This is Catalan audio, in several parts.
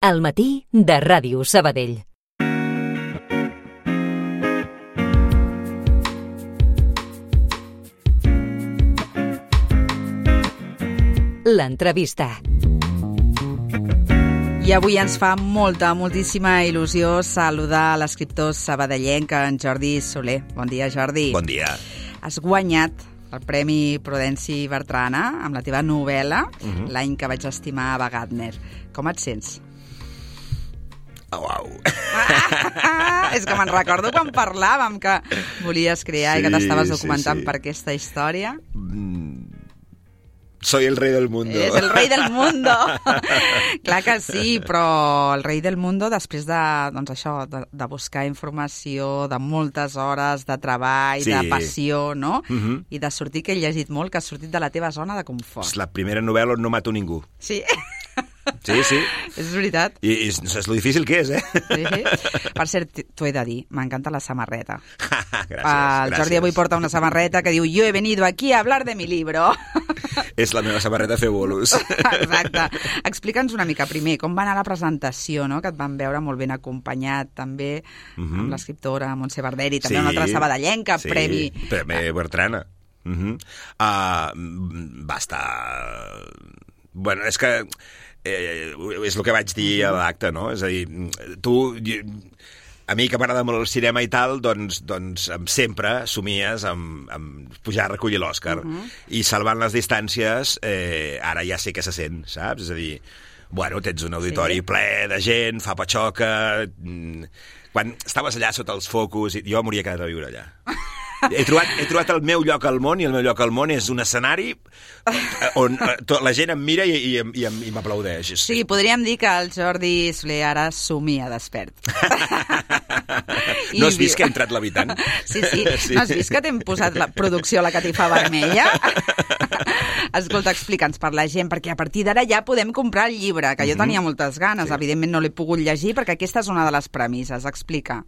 Al matí de Ràdio Sabadell. L'entrevista. I avui ens fa moltíssima il·lusió saludar l'escriptor sabadellenc, en Jordi Soler. Bon dia, Jordi. Bon dia. Has guanyat el Premi Prudenci Bertrana amb la teva novel·la L'any que vaig estimar Ava Gardner. Com et sents? Uau. És que me'n recordo quan parlàvem que volies crear i que t'estaves documentant per aquesta història. Soy el rey del mundo. És el rei del mundo. Clar que sí, però el rei del mundo després de, doncs això, de buscar informació, de moltes hores de treball, de passió, no? I de sortir, que he llegit molt, que has sortit de la teva zona de confort. És la primera novel·la on no mato ningú. Sí. Sí, sí. És veritat. I és lo difícil que és, eh? Sí. Per cert, t'ho he de dir, m'encanta la samarreta. Gràcies. El Jordi avui porta una samarreta que diu «Yo he venido aquí a hablar de mi libro». És la meva samarreta fer bolos. Exacte. Explica'ns una mica primer com va anar la presentació, no? Que et van veure molt ben acompanyat també amb l'escriptora Montse Barderi, també una altra sabadellenca, Premi Bertrana. Va estar... Bueno, és que és el que vaig dir a l'acte, no? És a dir, a mi que m'agrada molt el cinema i tal, doncs sempre somies amb pujar a recollir l'Òscar. I salvant les distàncies, ara ja sé què se sent, saps? És a dir, bueno, tens un auditori ple de gent, fa patxoca... Quan estaves allà sota els focus, jo m'hauria quedat a viure allà. He trobat el meu lloc al món, i el meu lloc al món és un escenari on la gent em mira i m'aplaudeix. Sí, podríem dir que el Jordi Soler ara somia despert. No has vist que ha entrat l'habitant? Sí. No has vist que t'hem posat la producció a la catifa vermella? Escolta, explica'ns per la gent, perquè a partir d'ara ja podem comprar el llibre, que jo tenia moltes ganes. Evidentment no l'he pogut llegir, perquè aquesta és una de les premisses. Explica.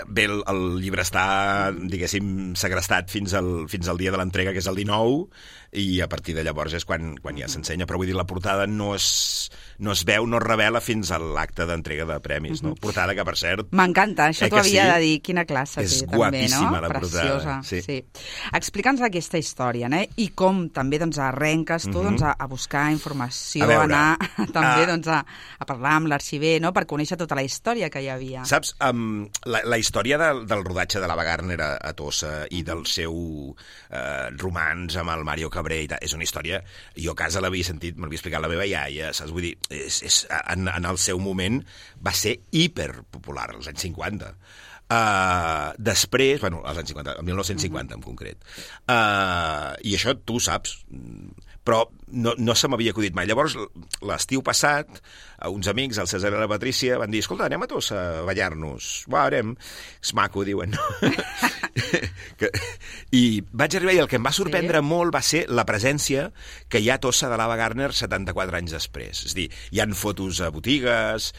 Bé, el llibre està, diguéssim, segrestat fins al dia de l'entrega, que és el 19, i a partir de llavors és quan ja s'ensenya. Però vull dir, la portada no es veu, no es revela fins a l'acte d'entrega de premis, no? Portada que, per cert... M'encanta, això t'ho havia de dir. Quina classe té, també, no? És guapíssima, la portada. Sí. Explica'ns aquesta història, no? I com també arrenques tu a buscar informació, a anar també a parlar amb l'arxiver, no? Per conèixer tota la història que hi havia. Saps, la història del rodatge de l'Ava Gardner a Tossa i del seu romanç amb el Mario Cabré i tal, és una història... Jo a casa l'havia sentit, me l'havia explicat la meva iaia, saps? Vull dir, en el seu moment va ser hiperpopular, als anys 50. Després, bueno, als anys 50, el 1950 en concret. I això tu saps, però no se m'havia acudit mai. Llavors, l'estiu passat, uns amics, el César i la Patrícia, van dir, escolta, anem a Tossa a ballar-nos. Va, anem. És maco, diuen. I vaig arribar i el que em va sorprendre molt va ser la presència que hi ha a Tossa de l'Ava Gardner 74 anys després. És a dir, hi ha fotos a botigues,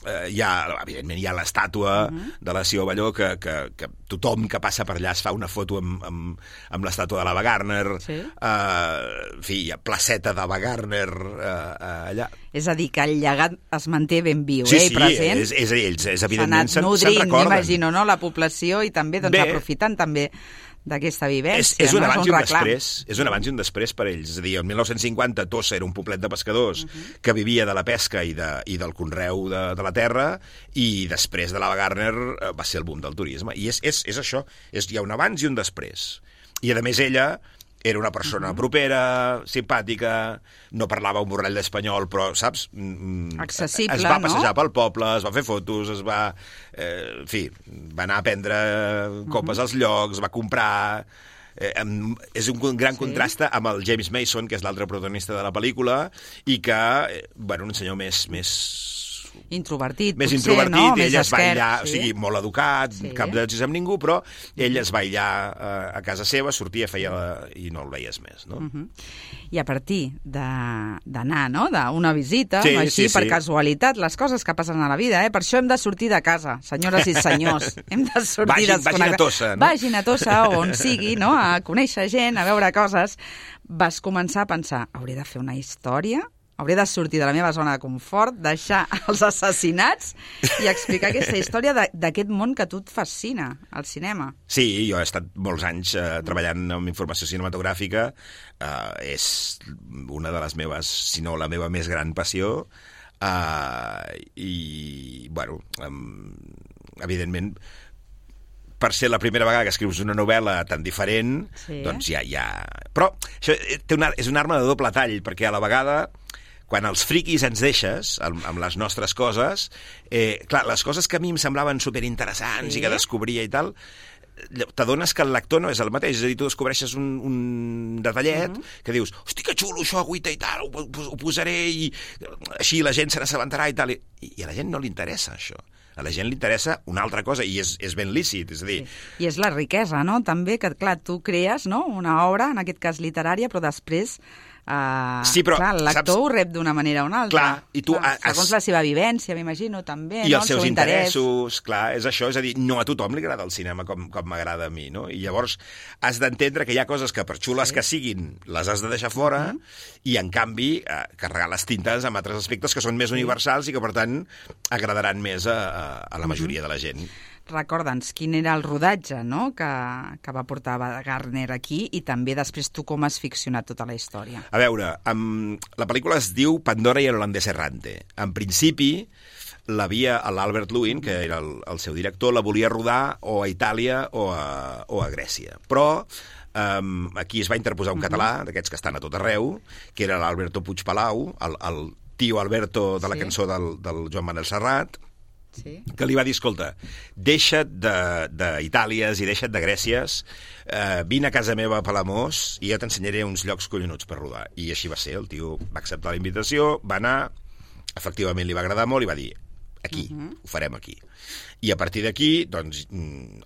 evidentment hi ha l'estàtua de la Sió Balló, que tothom que passa per allà es fa una foto amb l'estàtua de l'Ava Gardner. En fi, hi ha placeta d'Ava Gardner allà. És a dir, que el llegat es manté ben viu, i present. Sí, és a dir, ells evidentment se'n recorden. M'imagino, no?, la població, i també aprofitant també d'aquesta vivència. És un abans i un després. És un abans i un després per ells. És a dir, el 1950 Tossa era un poblet de pescadors que vivia de la pesca i del conreu de la terra, i després de l'Ava Gardner va ser el boom del turisme. I és això. Hi ha un abans i un després. I a més ella era una persona propera, simpàtica, no parlava un borrall d'espanyol, però, saps? Accessible, es va passejar pel poble, es va fer fotos, va anar a prendre copes als llocs, va comprar... és un gran contrast amb el James Mason, que és l'altre protagonista de la pel·lícula, i que, bueno, un senyor més introvertit, més potser, introvertit, no? Ell es va aïllar, o sigui, molt educat, cap d'èxits amb ningú, però ell es va aïllar a casa seva, sortia, i no el veies més, no? I a partir d'anar, no?, d'una visita, així per casualitat, les coses que passen a la vida, per això hem de sortir de casa, senyores i senyors, hem de sortir Vagin a Tossa, no? Vagin a Tossa, on sigui, no?, a conèixer gent, a veure coses. Vas començar a pensar, hauré de fer una història hauré de sortir de la meva zona de confort, deixar els assassinats i explicar aquesta història d'aquest món que a tu et fascina, el cinema. Sí, jo he estat molts anys treballant amb informació cinematogràfica. És una de les meves, si no la meva més gran passió. I, bueno, evidentment, per ser la primera vegada que escrius una novel·la tan diferent, doncs ja... Però això és una arma de doble tall, perquè a la vegada, quan els friquis ens deixes amb les nostres coses, clar, les coses que a mi em semblaven superinteressants i que descobria i tal, t'adones que el lector no és el mateix. És a dir, tu descobreixes un detallet que dius, hosti, que xulo això, agüita i tal, ho posaré i així la gent se n'assabentarà i tal. I a la gent no li interessa això. A la gent li interessa una altra cosa i és ben lícit, és a dir... I és la riquesa, no?, també, que clar, tu crees, no?, una obra, en aquest cas literària, però després... sí, però, clar, el lector ho rep d'una manera o una altra. Clar, i tu segons la seva vivència, m'imagino, també. I els seus interessos, clar, és això. És a dir, no a tothom li agrada el cinema com m'agrada a mi, no? I llavors has d'entendre que hi ha coses que, per xules que siguin, les has de deixar fora i, en canvi, carregar les tintes amb altres aspectes que són més universals i que, per tant, agradaran més a la majoria de la gent. Recorda'ns quin era el rodatge, no?, que va portar Wagner aquí i també després tu com has ficcionat tota la història. A veure, la pel·lícula es diu Pandora i el holandès errante. En principi, l'Albert Lewin, que era el seu director, la volia rodar o a Itàlia o a Grècia. Però aquí es va interposar un català, d'aquests que estan a tot arreu, que era l'Alberto Puigpalau, el tio Alberto de la cançó del Joan Manel Serrat, que li va dir, escolta, deixa't d'Itàlies i deixa't de Grècies, vine a casa meva a Palamós i jo t'ensenyaré uns llocs collonuts per rodar. I així va ser, el tio va acceptar la invitació, va anar, efectivament li va agradar molt i va dir, aquí, ho farem aquí. I a partir d'aquí, doncs,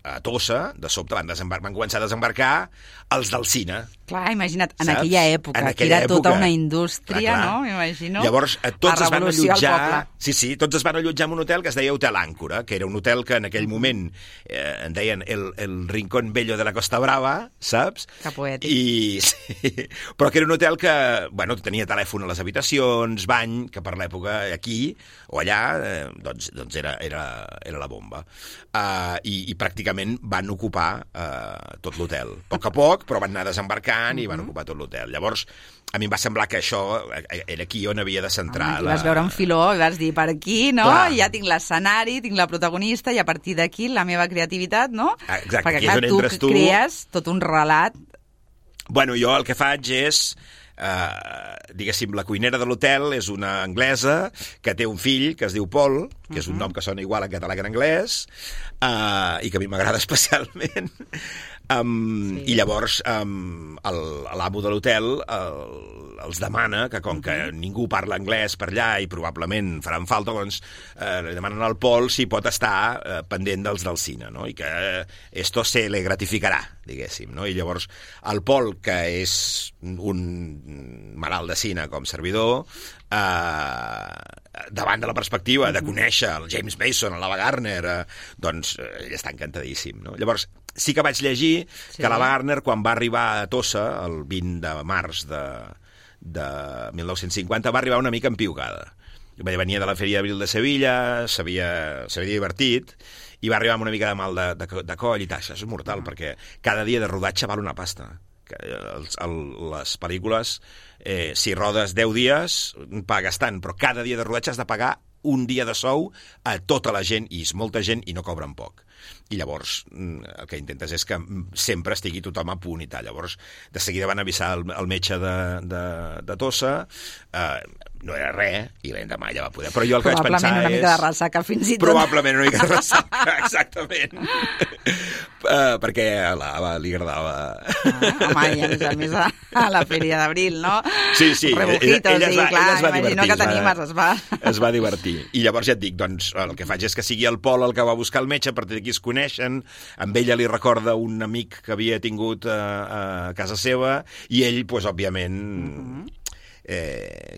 a Tossa, de sobte van començar a desembarcar els del cine. Clar, imagina't, en aquella època, que era tota una indústria, no? M'imagino. Llavors, tots es van allotjar... Sí, tots es van allotjar en un hotel que es deia Hotel Àncora, que era un hotel que en aquell moment en deien el Rincón Bello de la Costa Brava, saps? Que poètic. Sí, però que era un hotel que, bueno, tenia telèfon a les habitacions, bany, que per l'època aquí o allà, doncs era la bomba. I pràcticament van ocupar tot l'hotel. A poc, però van anar desembarcant i van ocupar tot l'hotel. Llavors, a mi em va semblar que això era aquí on havia de centrar... Vas veure un filó i vas dir, per aquí, no? Clar. Ja tinc l'escenari, tinc la protagonista i a partir d'aquí la meva creativitat, no? Exacte, perquè clar, tu crees tot un relat. Bueno, jo el que faig és... diguéssim, la cuinera de l'hotel és una anglesa que té un fill que es diu Paul, que és un nom que sona igual en català que en anglès, i que a mi m'agrada especialment. I llavors l'amo de l'hotel els demana que, com que ningú parla anglès per allà i probablement faran falta, doncs li demanen al Paul si pot estar pendent dels del cine, no? I que esto se le gratificarà, diguéssim, no? I llavors el Paul, que és un malalt de cine com servidor, davant de la perspectiva de conèixer el James Mason, l'Ava Gardner, doncs ell està encantadíssim, no? Llavors sí que vaig llegir que l'Ava Gardner, quan va arribar a Tossa el 20 de març de 1950, va arribar una mica empiugada. Venia de la Feria d'Abril de Sevilla, s'havia divertit i va arribar amb una mica de mal de coll i tal. Això és mortal, perquè cada dia de rodatge val una pasta. Les pel·lícules, si rodes 10 dies, pagues tant, però cada dia de rodatge has de pagar un dia de sou a tota la gent, i és molta gent i no cobren poc. I llavors el que intentes és que sempre estigui tothom a punt i tal. Llavors de seguida van avisar el metge de Tossa, no era res, i l'endemà ja va poder. Però jo el que vaig pensar és... Probablement una mica de ressaca, fins i tot. Probablement una mica de ressaca, exactament. Perquè a l'Ava li agradava... Home, i a més a la Feria d'Abril, no? Sí, Rebujitos, ella es va divertir. Que t'animes, es va divertir. I llavors ja et dic, doncs, el que faig és que sigui el Pol el que va buscar el metge, a partir d'aquí es coneixen, amb ella li recorda un amic que havia tingut a casa seva, i ell, doncs, òbviament...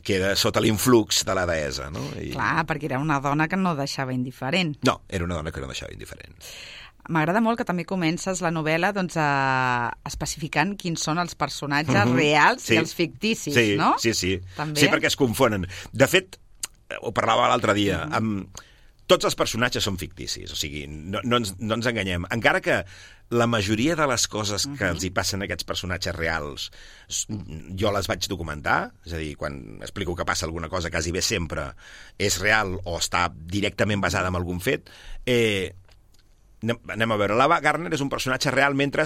queda sota l'influx de la deessa, no? Clar, perquè era una dona que no deixava indiferent. No, era una dona que no deixava indiferent. m'agrada molt que també comences la novel·la doncs, especificant quins són els personatges reals i els ficticis, no? Sí. També? Sí, perquè es confonen. De fet, ho parlava l'altre dia, tots els personatges són ficticis, o sigui, no ens enganyem. Encara que la majoria de les coses que els hi passen a aquests personatges reals jo les vaig documentar, és a dir, quan explico que passa alguna cosa, quasi bé sempre és real o està directament basada en algun fet. Anem a veure, l'Ava Gardner és un personatge real mentre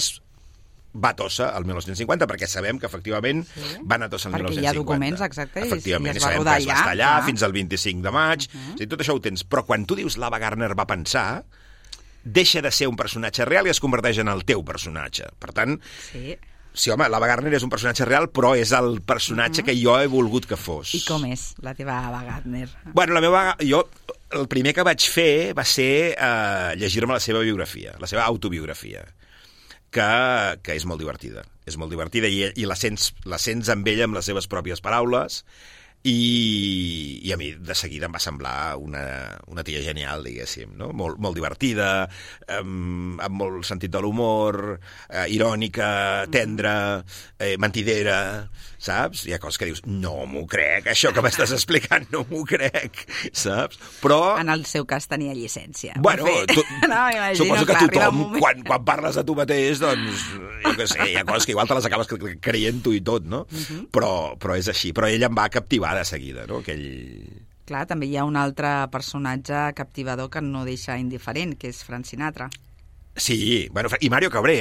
va a Tossa el 1950, perquè sabem que efectivament va anar a Tossa el 1950. Perquè hi ha documents, exacte, efectivament, i es va rodar allà. Va estar allà fins al 25 de maig, o sigui, tot això ho tens. Però quan tu dius l'Ava Gardner va pensar, deixa de ser un personatge real i es converteix en el teu personatge. Per tant, sí, home, l'Ava Gardner és un personatge real, però és el personatge que jo he volgut que fos. I com és la teva Ava Gardner? Bueno, el primer que vaig fer va ser llegir-me la seva biografia, la seva autobiografia, que és molt divertida. És molt divertida i la sents amb ella amb les seves pròpies paraules. I a mi de seguida em va semblar una tia genial, diguéssim, no? Molt divertida, amb molt sentit de l'humor, irònica, tendra, mentidera, saps? Hi ha coses que dius, no m'ho crec, això que m'estàs explicant no m'ho crec, saps? Però... En el seu cas tenia llicència. Bueno, suposo que tothom, quan parles de tu mateix, doncs, jo què sé, hi ha coses que igual te les acabes creient tu i tot, no? Però és així. Però ell em va captivar de seguida, no? Clar, també hi ha un altre personatge captivador que no deixa indiferent, que és Frank Sinatra. Sí, bueno, i Mario Cabré,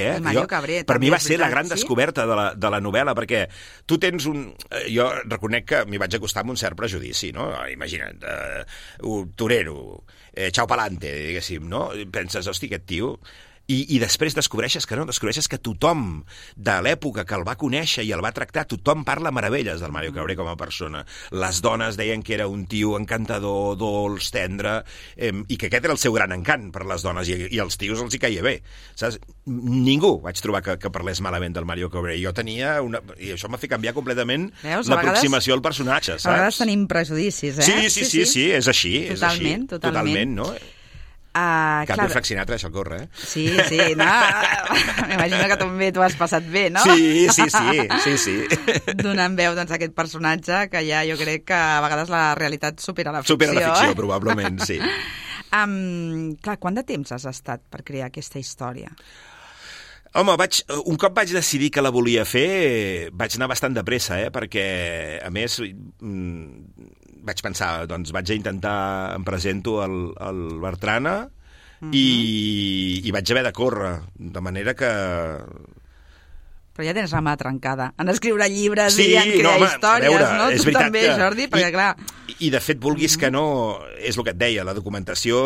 Cabré, per mi va ser la gran descoberta de la novel·la, perquè tu tens jo reconec que m'hi vaig acostar amb un cert prejudici, no? Imagina't, torero, chao palante, diguéssim, no? Penses, hosti, aquest tio... I després descobreixes que tothom de l'època que el va conèixer i el va tractar, tothom parla meravelles del Mario Cabré com a persona. Les dones deien que era un tio encantador, dolç, tendre, i que aquest era el seu gran encant per les dones, i als tios els hi caia bé. Saps? Ningú vaig trobar que parlés malament del Mario Cabré. Jo tenia i això m'ha fet canviar completament l'aproximació al personatge, saps? A vegades tenim prejudicis, eh? Sí, és així. Totalment, no? Canvi Frank Sinatra, això corre, eh? Sí, no, m'imagino que també t'ho has passat bé, no? Sí. Donant veu doncs, a aquest personatge que ja jo crec que a vegades la realitat supera la ficció. Supera la ficció, probablement, sí. Clar, quant de temps has estat per crear aquesta història? Home, un cop vaig decidir que la volia fer, vaig anar bastant de pressa, perquè, a més, vaig pensar, doncs vaig intentar, em presento al Bertrana i vaig haver de córrer, de manera que... Però ja tens la mà trencada en escriure llibres i en crear històries, no? Tu també, Jordi, perquè clar... I de fet, vulguis que no, és el que et deia, la documentació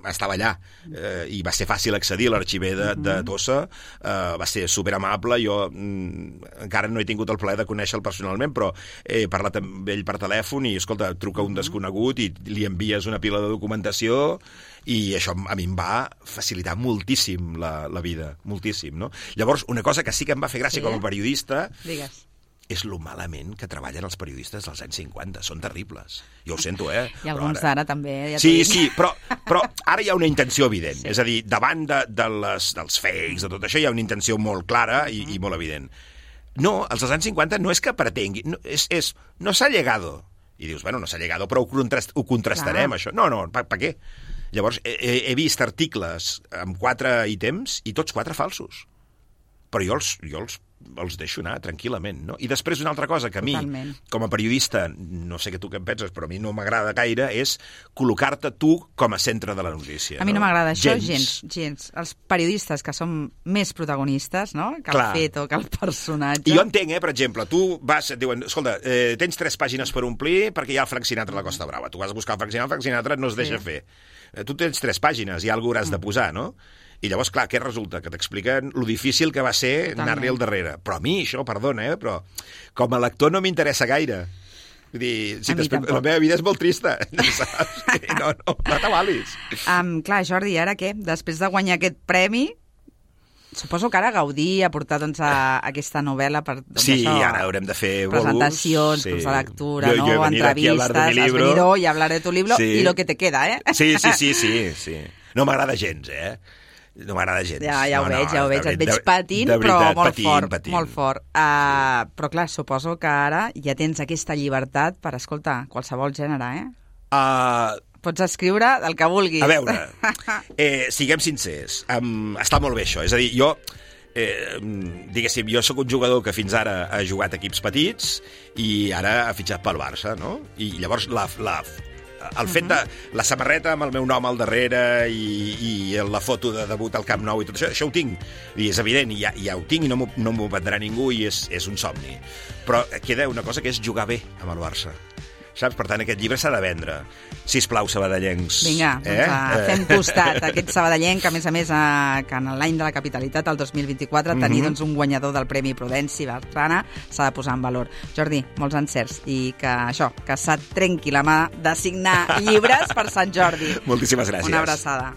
estava allà i va ser fàcil accedir a l'arxiver de Tossa, va ser superamable, jo encara no he tingut el plaer de conèixer-lo personalment, però he parlat amb ell per telèfon i, escolta, truca un desconegut i li envies una pila de documentació i això a mi em va facilitar moltíssim la vida, moltíssim, no? Llavors, una cosa que sí que em va fer gràcia com a periodista... Digues. És lo malament que treballen els periodistes dels anys 50. Són terribles. Jo ho sento, eh? I alguns d'ara també. Ja sí, però ara hi ha una intenció evident. Sí. És a dir, davant dels fakes, de tot això, hi ha una intenció molt clara i molt evident. No, els dels anys 50 no és que pretengui, no s'ha llegado. I dius, bueno, no s'ha llegado, però ho contrastarem, això. No, per què? Llavors, he vist articles amb 4 ítems i tots 4 falsos. Però jo els deixo anar tranquil·lament, no? I després una altra cosa que a mi, com a periodista, no sé tu què en penses, però a mi no m'agrada gaire, és col·locar-te tu com a centre de la notícia. A mi no m'agrada això gens. Els periodistes que som més protagonistes, no? Que el fet o que el personatge. I jo entenc, per exemple, tu vas, et diuen, escolta, tens 3 pàgines per omplir perquè hi ha el Frank Sinatra a la Costa Brava. Tu vas a buscar el Frank Sinatra no es deixa fer. Tu tens 3 pàgines i alguna hauràs de posar, no? I llavors, clar, què resulta? Que t'expliquen lo difícil que va ser anar-li al darrere. Però a mi, això, perdona, però com a lector no m'interessa gaire. Vull dir, la meva vida és molt trista, saps? No t'avalis. Clar, Jordi, ara què? Després de guanyar aquest premi, suposo que ara gaudir, aportar doncs, a aquesta novel·la per sí, això, ara haurem de fer presentacions, clubs de lectura, entrevistes, has venido y hablar de tu libro y lo que te queda, eh? Sí. No m'agrada gens, no m'agrada gens. Ja ho veig. Et veig patint, però molt fort. Però clar, suposo que ara ja tens aquesta llibertat per, escolta, qualsevol gènere, Pots escriure del que vulguis. A veure, siguem sincers, està molt bé això. És a dir, jo, diguéssim, jo sóc un jugador que fins ara ha jugat equips petits i ara ha fitxat pel Barça, no? I llavors el fet de la samarreta amb el meu nom al darrere i la foto de debut al Camp Nou i tot això ho tinc. I és evident, i ja ho tinc i no m'ho vendrà ningú i és un somni. Però queda una cosa que és jugar bé amb el Barça. Saps? Per tant, aquest llibre s'ha de vendre. Sisplau, sabadellencs. Vinga, fem costat a aquest sabadellenc, que a més, que en l'any de la capitalitat, el 2024, tenir un guanyador del Premi Prudenci Bertrana s'ha de posar en valor. Jordi, molts encerts i que se't trenqui la mà de signar llibres per Sant Jordi. Moltíssimes gràcies. Una abraçada.